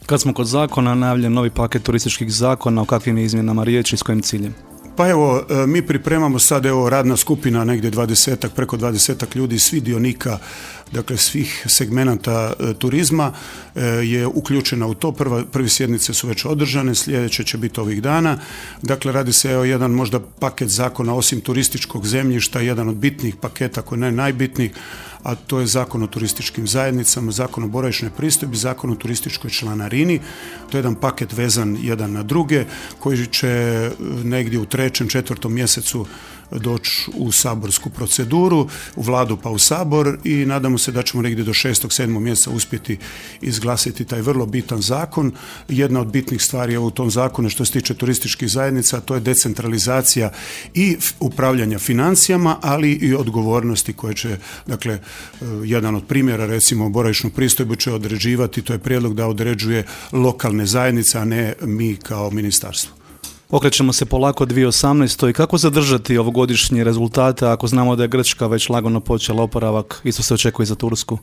Kad smo kod zakona, najavljen novi paket turističkih zakona, o kakvim je izmjenama riječi i s kojim ciljem? Pa evo, mi pripremamo sad, radna skupina, negdje preko 20 ljudi, svi dionika, dakle svih segmenata turizma je uključena u to. Prve sjednice su već održane, sljedeće će biti ovih dana. Dakle, radi se o jedan možda paket zakona osim turističkog zemljišta, jedan od bitnih paketa, koji ne najbitnijih, a to je Zakon o turističkim zajednicama, Zakon o boravišnoj pristojbi, Zakon o turističkoj članarini. To je jedan paket vezan jedan na druge, koji će negdje u 3., 4. mjesecu doći u saborsku proceduru, u Vladu pa u Sabor, i nadamo se da ćemo negdje do 6., 7. mjeseca uspjeti izglasiti taj vrlo bitan zakon. Jedna od bitnih stvari u tom zakonu što se tiče turističkih zajednica, to je decentralizacija i upravljanja financijama, ali i odgovornosti koje će, dakle, jedan od primjera, recimo boravišnu pristojbu će određivati, to je prijedlog da određuje lokalne zajednice, a ne mi kao ministarstvo. Okrećemo se polako 2018. i kako zadržati ovogodišnje rezultate ako znamo da je Grčka već lagano počela oporavak, isto se očekuje za Tursku?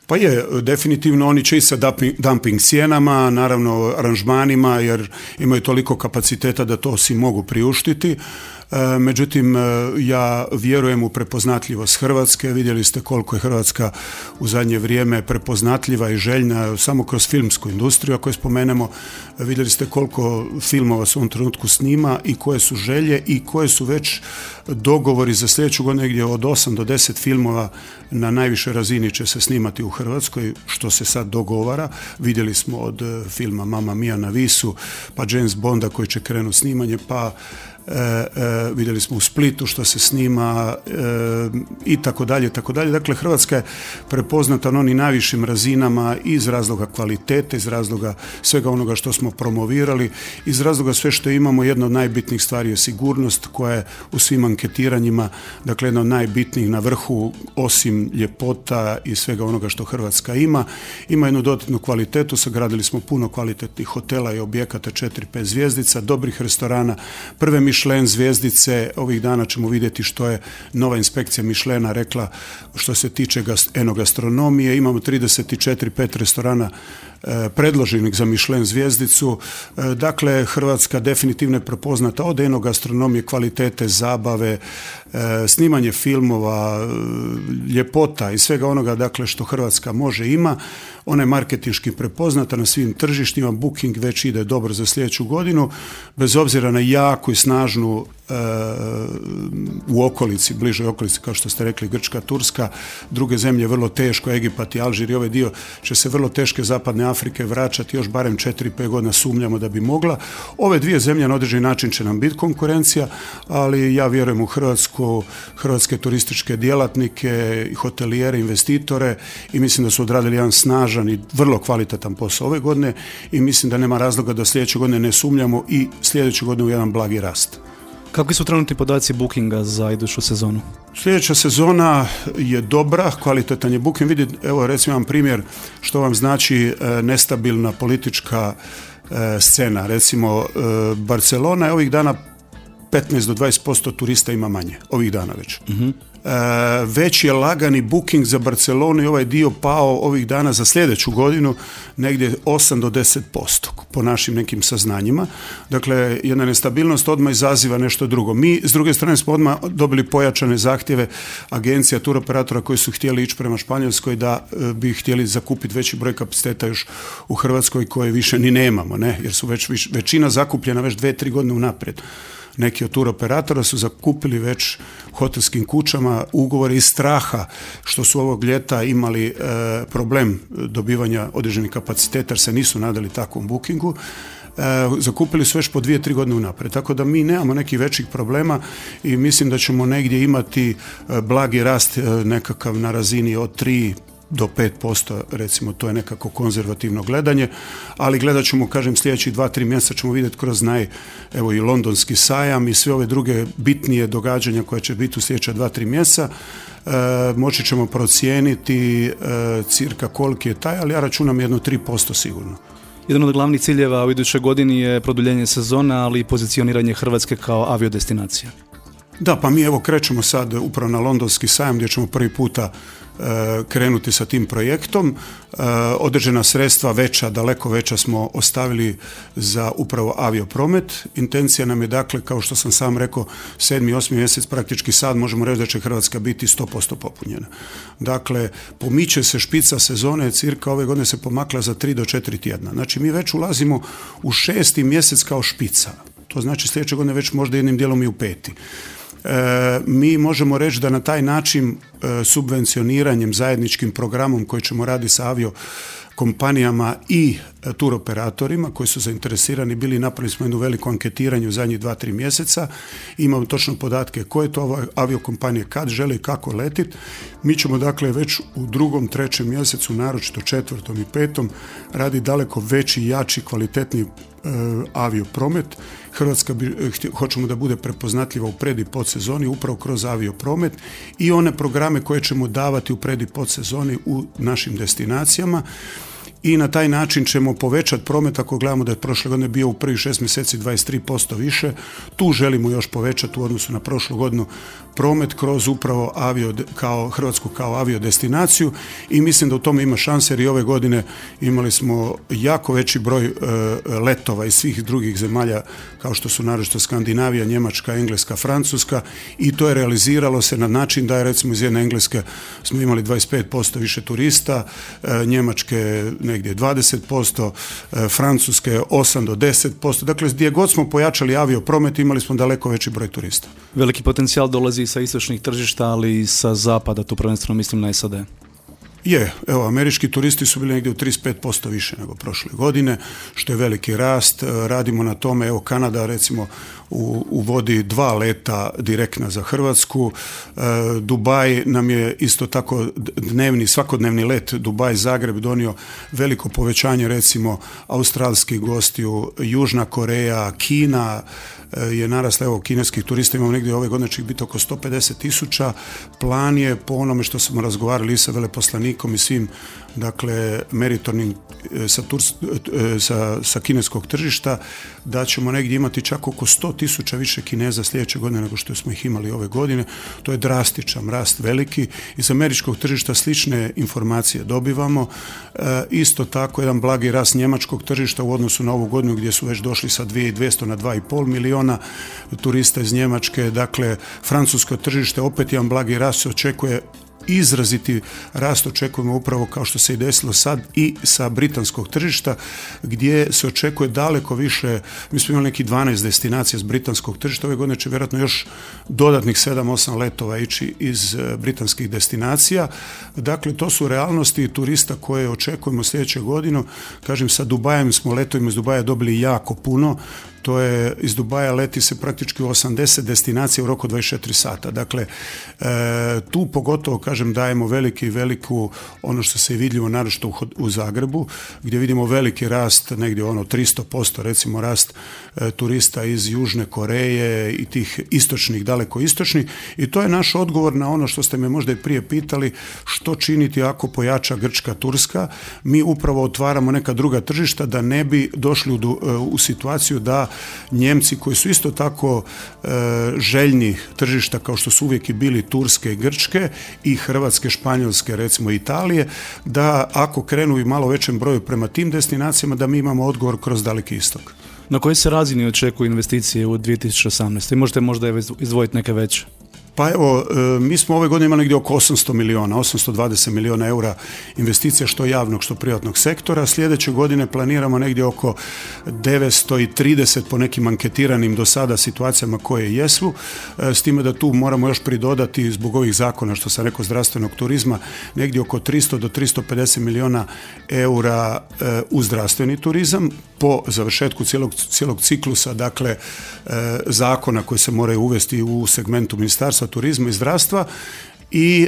Pa je, definitivno oni će i sa dumping cijenama, naravno aranžmanima, jer imaju toliko kapaciteta da to si mogu priuštiti. Međutim, ja vjerujem u prepoznatljivost Hrvatske. Vidjeli ste koliko je Hrvatska u zadnje vrijeme prepoznatljiva i željna samo kroz filmsku industriju. Ako je spomenemo, vidjeli ste koliko filmova se u ovom trenutku snima i koje su želje i koje su već dogovori za sljedeću godinu, negdje od 8 do 10 filmova na najvišoj razini će se snimati u Hrvatskoj, što se sad dogovara. Vidjeli smo od filma Mamma Mia na Visu, pa James Bonda koji će krenuti snimanje, pa vidjeli smo u Splitu što se snima i tako dalje, tako dalje. Dakle, Hrvatska je prepoznata na onim najvišim razinama iz razloga kvalitete, iz razloga svega onoga što smo promovirali, iz razloga sve što imamo. Jedna od najbitnijih stvari je sigurnost koja je u svim anketiranjima, dakle, jedna od najbitnijih na vrhu, osim ljepota i svega onoga što Hrvatska ima. Ima jednu dodatnu kvalitetu, sagradili smo puno kvalitetnih hotela i objekata 4-5 zvjezdica, dobrih restorana, prve Michelin zvjezdice. Ovih dana ćemo vidjeti što je nova inspekcija Michelina rekla što se tiče enogastronomije. Imamo 34-5 restorana predloženih za Michelin zvjezdicu. Dakle, Hrvatska definitivno je prepoznata od enogastronomije, kvalitete, zabave, snimanje filmova, ljepota i svega onoga, dakle, što Hrvatska može ima. Ona je marketinški prepoznata na svim tržištima. Booking već ide dobro za sljedeću godinu, bez obzira na jaku i snažnu u okolici, bližoj okolici, kao što ste rekli, Grčka, Turska, druge zemlje vrlo teško, Egipat i Alžir i ovaj dio će se vrlo teške zapadne Afrike vraćati još barem 4-5 godina, sumnjamo da bi mogla. Ove dvije zemlje na određeni način će nam biti konkurencija, ali ja vjerujem u hrvatske turističke djelatnike, hotelijere, investitore, i mislim da su odradili jedan snažan i vrlo kvalitetan posao ove godine i mislim da nema razloga da sljedeće godine ne sumnjamo i sljedeće godine u jedan blagi rast. Kakvi su trenutni podaci bookinga za iduću sezonu? Sljedeća sezona je dobra, kvalitetan je booking. Vidite, evo recimo vam primjer što vam znači nestabilna politička scena. Recimo Barcelona je ovih dana 15 do 20% turista ima manje. Ovih dana već. Uh-huh. Već je lagani booking za Barcelonu i ovaj dio pao ovih dana za sljedeću godinu negdje 8 do 10% po našim nekim saznanjima. Dakle, jedna nestabilnost odmah izaziva nešto drugo. Mi s druge strane smo odmah dobili pojačane zahtjeve agencija, turoperatora koji su htjeli ići prema Španjolskoj, da bi htjeli zakupiti veći broj kapaciteta još u Hrvatskoj koje više ni nemamo, ne? Jer su većina zakupljena već 2-3 godine unaprijed. Neki od turoperatora su zakupili već hotelskim kućama ugovore iz straha što su ovog ljeta imali problem dobivanja određenih kapaciteta jer se nisu nadali takvom bookingu. Zakupili su već po 2-3 godine unaprijed. Tako da mi nemamo nekih većih problema i mislim da ćemo negdje imati blagi rast nekakav na razini od 3 do 5%, recimo, to je nekako konzervativno gledanje, ali gledat ćemo, kažem, sljedećih 2-3 mjeseca ćemo vidjeti kroz evo i londonski sajam i sve ove druge bitnije događanja koje će biti u sljedeća 2-3 mjeseca. Moći ćemo procijeniti cirka koliki je taj, ali ja računam jedno 3% sigurno. Jedan od glavnih ciljeva u idućoj godini je produljenje sezona, ali i pozicioniranje Hrvatske kao aviodestinacija. Da, pa mi evo krećemo sad upravo na londonski sajam gdje ćemo prvi puta krenuti sa tim projektom. Određena sredstva veća, daleko veća smo ostavili za upravo aviopromet. Intencija nam je dakle, kao što sam sam rekao, 7. i 8. mjesec praktički sad možemo reći da će Hrvatska biti 100% popunjena. Dakle, pomiče se špica sezone, cirka ove godine se pomakla za 3 do 4 tjedna. Znači mi već ulazimo u 6. mjesec kao špica. To znači sljedeće godine već možda jednim dijelom i u 5. Mi možemo reći da na taj način subvencioniranjem, zajedničkim programom koji ćemo raditi sa aviokompanijama i turoperatorima koji su zainteresirani bili, napravili smo jednu veliko anketiranje u zadnjih 2-3 mjeseca, imamo točno podatke koje to aviokompanije kad žele i kako letiti. Mi ćemo dakle već u 2., 3. mjesecu, naročito 4. i 5. radi daleko veći, jači, kvalitetni aviopromet. Hrvatska hoćemo da bude prepoznatljiva u pred i podsezoni upravo kroz aviopromet i one programe koje ćemo davati u pred i podsezoni u našim destinacijama. I na taj način ćemo povećati promet. Ako gledamo da je prošle godine bio u prvih 6 mjeseci 23% više, tu želimo još povećati u odnosu na prošlu godinu promet kroz upravo Hrvatsku kao aviodestinaciju i mislim da u tome ima šanse jer i ove godine imali smo jako veći broj letova iz svih drugih zemalja kao što su naročito Skandinavija, Njemačka, Engleska, Francuska i to je realiziralo se na način da je recimo iz jedne Engleske smo imali 25% više turista, Njemačke negdje 20%, Francuske 8 do 10%. Dakle, gdje god smo pojačali aviopromet imali smo daleko veći broj turista. Veliki potencijal dolazi sa istočnih tržišta, ali i sa zapada, tu prvenstveno mislim na SAD. Evo, američki turisti su bili negdje u 35% više nego prošle godine, što je veliki rast. Radimo na tome, evo Kanada recimo uvodi 2 leta direktna za Hrvatsku. Dubaj nam je isto tako svakodnevni let Dubaj-Zagreb donio veliko povećanje, recimo australskih gostiju, Južna Koreja, Kina je narasla, evo kineskih turista imamo negdje ove godine će biti oko 150,000. Plan je po onome što smo razgovarali sa veleposlanikom i svim dakle meritornim sa kineskog tržišta da ćemo negdje imati čak oko 100,000 više Kineza sljedeće godine nego što smo ih imali ove godine. To je drastičan rast veliki. Iz američkog tržišta slične informacije dobivamo. Isto tako jedan blagi rast njemačkog tržišta u odnosu na ovu godinu gdje su već došli sa 2.200 na 2,5 miliona turista iz Njemačke. Dakle, francusko tržište opet jedan blagi rast se očekuje. Izraziti rast očekujemo upravo kao što se i desilo sad i sa britanskog tržišta gdje se očekuje daleko više. Mi smo imali neki 12 destinacija s britanskog tržišta, ove godine će vjerojatno još dodatnih 7-8 letova ići iz britanskih destinacija. Dakle, to su realnosti turista koje očekujemo sljedeće godine. Kažem, sa Dubajem smo letovima iz Dubaja dobili jako puno. To je, iz Dubaja leti se praktički u 80 destinacija u roku 24 sata. Dakle, tu pogotovo, kažem, dajemo veliku, ono što se je vidljivo naročito u Zagrebu, gdje vidimo veliki rast, negdje 300%, recimo rast turista iz Južne Koreje i tih istočnih, daleko istočnih. I to je naš odgovor na ono što ste me možda i prije pitali, što činiti ako pojača Grčka, Turska. Mi upravo otvaramo neka druga tržišta da ne bi došli u situaciju da Njemci koji su isto tako željni tržišta kao što su uvijek i bili Turske i Grčke i Hrvatske, Španjolske, recimo Italije, da ako krenu i malo većem broju prema tim destinacijama da mi imamo odgovor kroz Daleki istok. Na kojoj se razini očekuju investicije u 2018? Možete možda izdvojiti neke veće? Pa evo, mi smo ove godine imali negdje oko 820 milijuna eura investicija što javnog, što privatnog sektora. Sljedeće godine planiramo negdje oko 930 po nekim anketiranim do sada situacijama koje jesu. S time da tu moramo još pridodati zbog ovih zakona, što sam rekao, zdravstvenog turizma, negdje oko 300 do 350 milijuna eura u zdravstveni turizam po završetku cijelog ciklusa, dakle, zakona koji se moraju uvesti u segmentu Ministarstva turizma i zdravstva i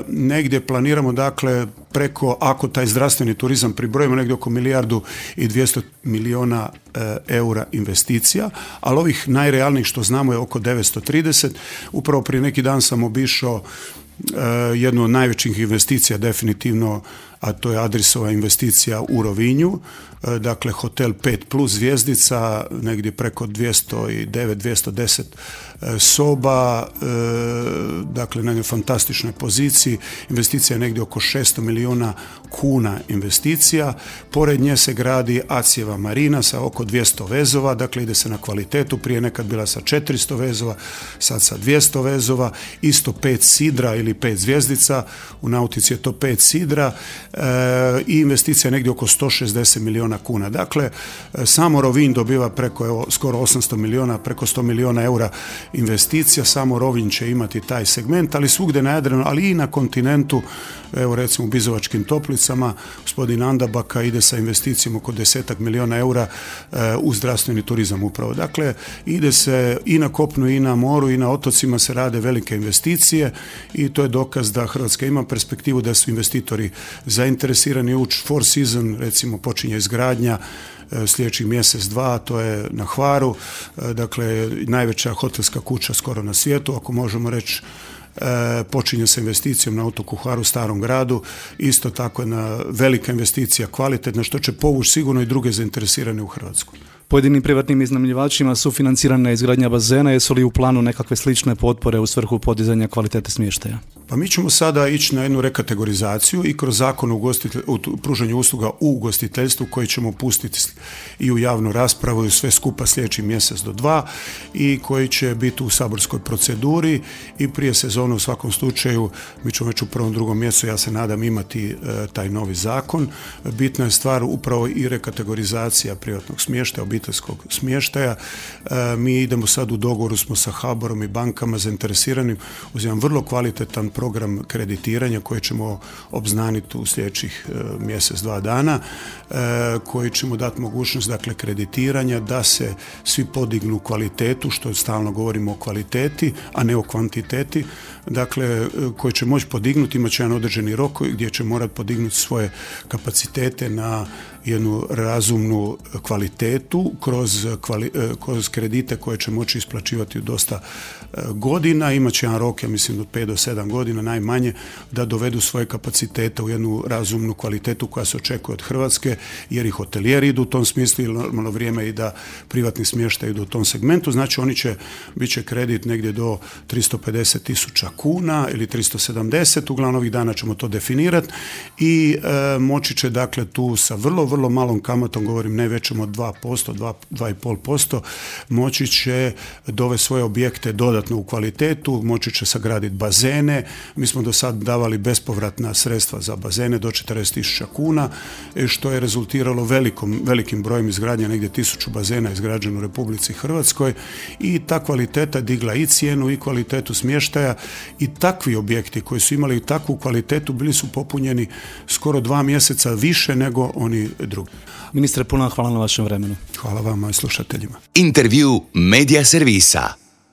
negdje planiramo, dakle, preko, ako taj zdravstveni turizam pribrojimo, negdje oko 1,2 milijuna eura investicija, ali ovih najrealnijih što znamo je oko 930. Upravo prije neki dan sam obišao jednu od najvećih investicija definitivno a to je Adrisova investicija u Rovinju, dakle hotel 5+ zvjezdica, negdje preko 209-210 soba, dakle na jednoj fantastičnoj poziciji, investicija je negdje oko 600 milijuna kuna investicija, pored nje se gradi Acijeva marina sa oko 200 vezova, dakle ide se na kvalitetu, prije nekad bila sa 400 vezova, sad sa 200 vezova, isto 5 sidra ili 5 zvjezdica, u nautici je to 5 sidra i investicija je negdje oko 160 milijuna kuna. Dakle, samo Rovinj dobiva preko skoro 800 milijuna, preko 100 milijuna eura investicija, samo Rovinj će imati taj segment, ali svugdje na Jadranu, ali i na kontinentu, evo recimo u Bizovačkim Toplicama, gospodin Andabaka ide sa investicijom oko 10 milijuna eura u zdravstveni turizam upravo. Dakle, ide se i na kopnu i na moru i na otocima se rade velike investicije i to je dokaz da Hrvatska ima perspektivu, da su investitori zainteresirani ući. Four Seasons recimo počinje izgradnja sljedećih mjesec, dva, to je na Hvaru, dakle najveća hotelska kuća skoro na svijetu, ako možemo reći, počinje sa investicijom na otoku Hvaru, Starom gradu, isto tako jedna velika investicija, kvalitetna, što će povući sigurno i druge zainteresirane u Hrvatsku. Pojedinim privatnim iznajmljivačima sufinancirana je izgradnja bazena, jesu li u planu nekakve slične potpore u svrhu podizanja kvalitete smještaja? Pa mi ćemo sada ići na jednu rekategorizaciju i kroz zakon o pružanju usluga u ugostiteljstvu koji ćemo pustiti i u javnu raspravu i sve skupa sljedeći mjesec do 2 i koji će biti u saborskoj proceduri i prije sezone u svakom slučaju mi ćemo već u 1. 2. mjesecu, ja se nadam, imati taj novi zakon. Bitna je stvar upravo i rekategorizacija privatnog smještaja, obiteljskog smještaja. Mi idemo sad u dogovoru smo sa HBOR-om i bankama zainteresiranim uz jedan vrlo kvalitetan program kreditiranja koji ćemo obznaniti u sljedećih mjesec, 2 dana, koji ćemo dati mogućnost, dakle, kreditiranja da se svi podignu kvalitetu, što stalno govorimo o kvaliteti, a ne o kvantiteti, dakle, koji će moći podignuti, imat će jedan određeni rok gdje će morati podignuti svoje kapacitete na jednu razumnu kvalitetu kroz kredite koje će moći isplaćivati u dosta godina. Imat će jedan rok, ja mislim, od 5 do 7 godina najmanje, da dovedu svoje kapacitete u jednu razumnu kvalitetu koja se očekuje od Hrvatske, jer i hotelijeri idu u tom smislu i normalno vrijeme i da privatni smještaj idu u tom segmentu. Znači bit će kredit negdje do 350.000 kuna ili 370, uglavnom ovih dana ćemo to definirati i moći će, dakle, tu sa vrlo malom kamatom, govorim ne većom od 2%, 2,5%, moći će dovesti svoje objekte dodatno u kvalitetu, moći će sagraditi bazene. Mi smo do sad davali bespovratna sredstva za bazene do 40.000 kuna, što je rezultiralo velikim brojem izgradnja, negdje 1000 bazena izgrađeno u Republici Hrvatskoj i ta kvaliteta digla i cijenu i kvalitetu smještaja i takvi objekti koji su imali takvu kvalitetu bili su popunjeni skoro 2 mjeseca više nego oni drugi. Ministre, puno hvala na vašem vremenu. Hvala vama i slušateljima. Intervju Media Servisa.